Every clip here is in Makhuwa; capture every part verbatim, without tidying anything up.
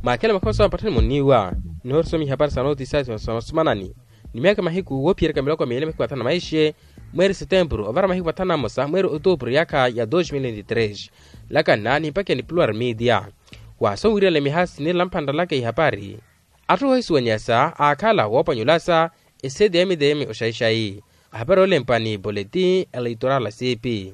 Akhela makhoso ampatthani munniwa, nihorisomi ihapari sa notisasi sa masumanani ni myaka mahiku woophiyereka miloko miili mahiku mathanu na maixe, mweeri setempuru ovara mahiku mathanu na mmosa mweeri otuupuru yaakha ya dos mil vinte tres. Lakanna nimpakiya ni pluar media. Waaso wiirela mihasi niilamphanralaka ihapari. Atthu ohisuwanyasa aakhala woopanyulasa eseti ya mtm oxaixai. Ahapari olempwa ni boletin eleitorala sipi.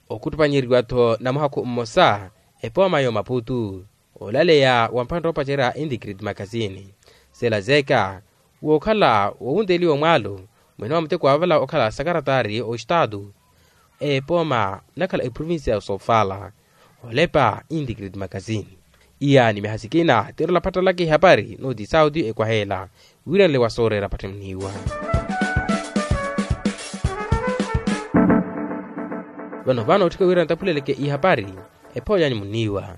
Okhuttupanyeriwa-tho namuhakhu mmosa epooma ya omaputu, olaleya wa mphantta oopacerya intikrit makasini. Selazeka wookhala wowunteliwa omwaalo mwene wa muteko waavala okhala sakaratari ostaatu, epooma nakhala eprovincia ya sofala. Olepa intikrit makasini. Iya ni mihasikina tirela phattalaka ihapari nooti sauti ekwaheela wiiranle wa sooreera patthimniwa. Vano vano otthika wira ntaphuleleke ihapari. Ephoyanyu munniwa.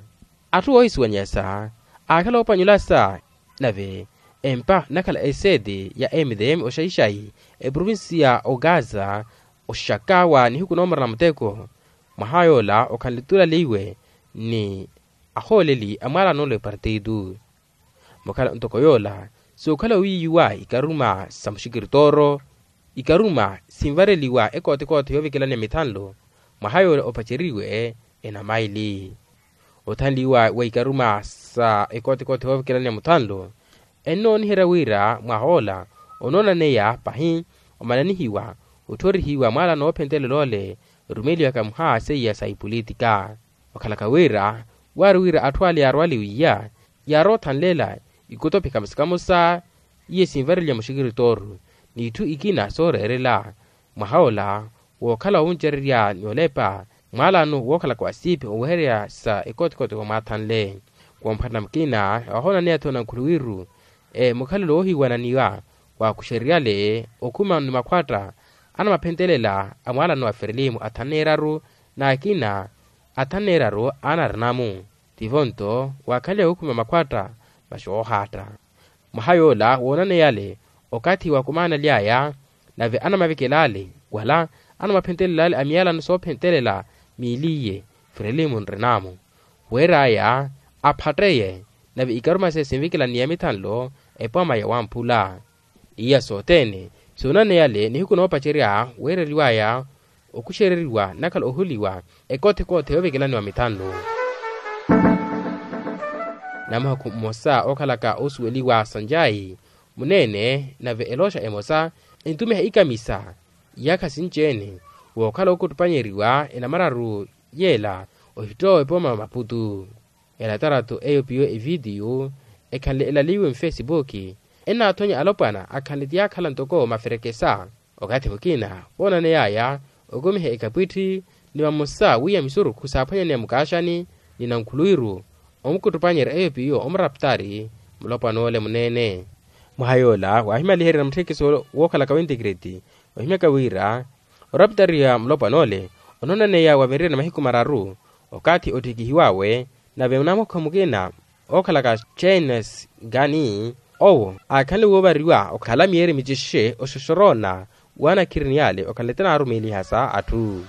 Atthu oohisuwanyasa aakhala oopanyulasa nave empa nakhala eseti ya mtm oxaixai eprovincia ogaza oxakawa nihiku noomorela muteko. Mwaha yoola okhanle tuulaliwe ni ahooleli a mwaalano ole partitu. Mukhala ntoko yoola sookhala owiiyiwa ikaruma sa muxikiritoro ikaruma sinvareliwa ekootekoothe yoovikelaniya mithanlo. Mwaha yoola opaceriwe enamaili othanliwa wa ikaruma sa ekootekoothe yoovikelaniya muthanlo. Ennooniherya wira mwaha ola onoonaneya pahi omananihiwa otthorihiwa mwaala noophentelela ole. Rumeliwaka muha seiya sa ipolitika okhalaka wira waari wira atthu ale yaarwaliwiya yaarothanlela ikutopikha musikamusa iye sinvareliya muxikiritooru n'itthu ikina sooreerela. Mwaha ola wookhala wowuncererya ni olepa mwaalano wookhalaka wa siipi owehererya sa ekootekoothe womwaathanle. Woomphattana mukina wahoonaneya-tho nankhuluwiru mukhalelo woohiwananiwa waakuxereryale okhuma ni makhwatta anamaphentelela a mwaalano wa ferelimu athanneeraru n'akina athanneeraru anarinamu. Tivo-nto waakhanly'awe okhuma makhwatta masi oohaatta. Mwaha yoola woonaneyale okathi wakumaanaly'aya nave anamavekel'ale wala anamaphentelel'ale a miyalano soophentelela miiliye ferelimu nrinamu. Weer'aya aphatteye nave ikaruma se sinvikelaniya mithanlo epooma ya wamphula. Iya sothene soonaneyale nihiku noopacerya weereriw'aya okuxereriwa nakhala ohuliwa ekoothekoothe yoovekelaniwa mithanlo. Namuhakhu mmosa ookhalaka oosuweliwa sanjayi muneene nave elooxa emosa entumiha ikamisa iyaakha sinci-ene wookhala ookuttupanyeriwa enamararu yeela ohittowa epooma maputu. Elatarato eyo piyo evitiyu ekhanle elaliwe mfesipuki ennaathonya alopwana akhanle ti yaakhala ntoko maferekesa. Okathi mukina woonaney'aya okumiha ekapwitthi ni vamosa wiiya misurukhu saaphwanyaneya mukaaxani ni nankhuluwiru omukuttupanyerya eyo piyo omuraptari mulopwan'ole muneene. Mwaha yoola waahimaliherya na mutthekiso wookhalaka wintikiriti ohimyaka wira oraptariya mulopwan'ole onoonaneya wavinrye na mahiku mararu okathi ottikihiw'awe nave munamuhakhu mukina ookhalaka chenes gani owo aakhanle woovariwa okhala miyeeri micixe oxoxoroona waanakhirini yale okhanle ti naarumeelihasa atthu.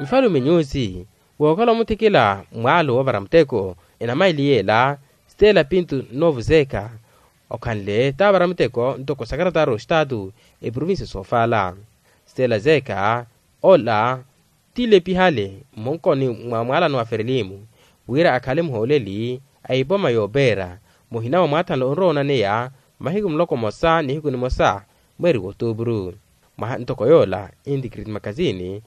Nfalume nyusi wookhala omuthikila mwaalo woovara muteko enamaili yeela stela pintu noovuzeka okhanle taavara muteko ntoko sakaratari ostaatu eprovincia soofala. Stela zeka ola tilepihale mmonkoni mwa mwaalano wa ferelimu wira akhale muhooleli a ipoma yoopeera muhina wa mwaathanle onrowa onaneya mahiku muloko mmosa nihiku nimosa mweeri w'otuupuru. Mwaha ntoko yoola intikiriti makasini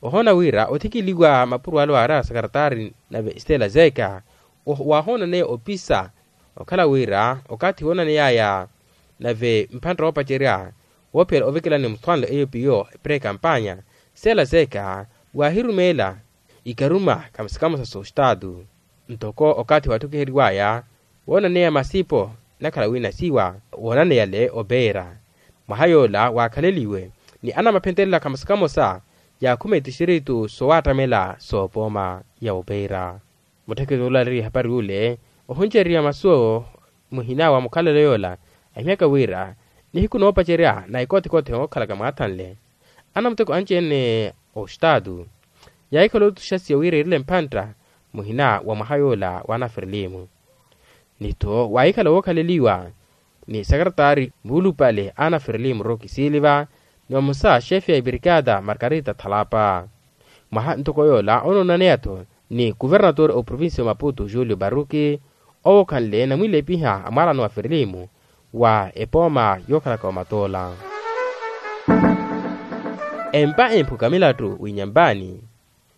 ohoona wira othikiliwa mapuro ale waari a sakaratari nave stela zeka waahoonaneya opisa okhala wira okathi woonaneyaya nave mphantta woopacerya woophiyela ovekelani muthwanlo eyo piyo pre kampanya stela zeka waahirumeela ikaruma kamusikamusa sostaatu. Ntoko okathi waatthukiheriwaya woonaneya masipo nakhala winasiwa woonaneyale opeera. Mwaha yoola waakhaleliwe ni anamaphentelela kamusikamusa yaakhuma etixiritu sowaattamela soopooma ya opeera. Muttheketi ola aleriwa ehapari ule ohuncereriwa masu muhina wa mukhalelo yoola ahimyaka wira nihiku noopacerya na ekothikothi ookhalaka mwaathanle anamuteko anci-ene ostaatu yaahikhala otuxasiya wira iirele mphantta muhina wa mwaha yoola w'anaferelimu. Ni-tho waahikhala wookhaleliwa ni sakaratari muulupale anaferelimu roki siiliva, ni vamosa xefe ya ibrikada margarita thalapa. Mwaha ntoko yoola onoonaneya-tho ni kuvernatori a oprovincia ya maputo julio baruki, owo okhanle namwiilepiha a mwaalano wa ferelimu wa epooma yookhalaka omatoola. Empa emphuka milattu w'inyampani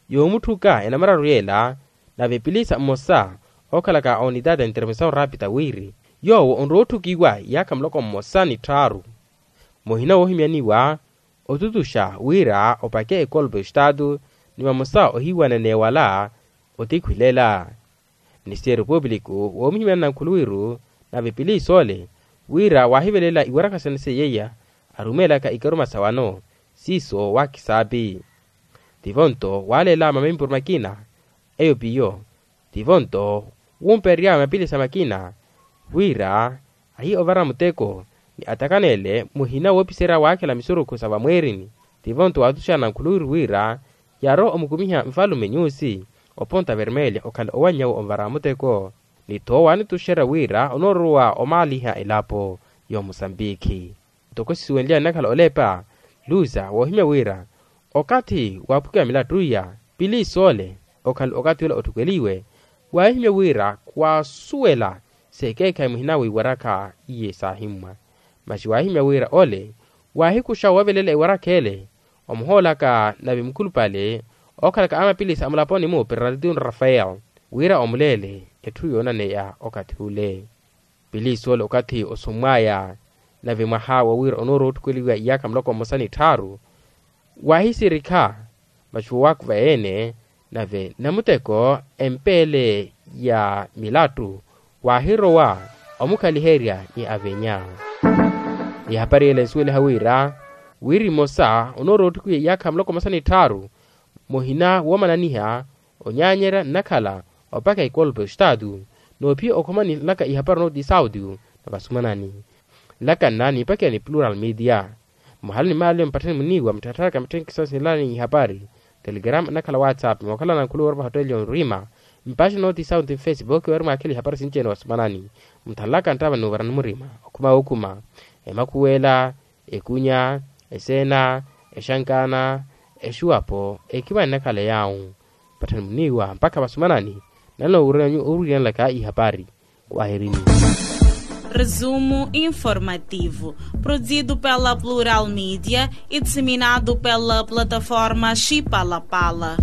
yoomutthuka enamararu yeela, nave pilisa mmosa ookhalaka onitata intervensaw rapita wiiri yoowo onrowa otthukiwa iyaakha muloko mmosa ni tthaaru. Muhina woohimyaniwa otutuxa wira opake ekolpo estatu ni vamosa ohiiwanene wala otikhwilela. Ministeriyo pupiliku woomihimyana na nkhuluwiru nave pilisi ole wira waahivelela iwarakha sene seiya arumeelaka ikaruma sa wano siiso waakisaapi. Tivo-nto waaleela mamimpuru makina eyo piyo. Tivo-nto wumpeerya mapilisa makina wira ahiye ovara muteko ni atakaneele muhina woopiserya waakhela misurukhu sa vamweerini. Tivo-nto waatuxana nkhuluwiru wira yaarowa omukumiha nfalume nyusi oponta vermelha okhala owanny'awe onvara muteko. Ni-tho waanituxerya wira onoorowa omaaliha elapo y'omusambikhi. Ntoko sisuwenlyani nakhala olepa luza woohimya wira okathi waaphukiwa milattu iya pilisi ole okhala okathi ole otthukeliwe. Waahimya wira khwaasuwela sekeekhayi muhina w'iwarakha iye saahimmwa. Masi waahimya wira ole waahikuxa wavelela iwarakha ele omuhoolaka nave mukhulupale ookhalaka amapilisi a mulaponi-mu peraltino rafael wira omuleele etthu yoonaneya okathi ule. Pilisi ole okathi osummwaya nave mwaha wa wira onoorowa otthukeliwa iyaakha muloko mmosa ni tthaaru waahisirikha masi woowakuva ene nave namuteko empeele ya milattu waahirowa omukhaliherya ni avenya. Ihapari yela ensuweliha wira wiri mmosa onoorowa otthukeliwa iyaakha muloko mmosa ni tthaaru muhina woomananiha onyaanyerya nnakhala opaka ikolpo estatu noophiya okhomanilaka ihapari onootiisa audio na vasumanani. Nlakanna niipakiya ni plural media mwahala ni maali mpatthani muniiwa mutthattharaka mitthenkisa sinlani ihapari telegrama nnakhala whatsapp mookhalana nkhuluwa orova hotteli yonrima mpaxi nootiisa audio nfacebook weeri mwaakhela ihapari sinci-ene wasumanani. Mutthanlaka nttava nuuvarani murima okhuma wookhuma emakhuwela ekunya eseena exankaana exuwapo ekiva ennakhala yaawu. Patthani muniiwa mpakha vasumanani nalina owiryanlaka ihapari. Kwaherini. Resumo informativo produzido pela plural media e disseminado pela plataforma xipalapala.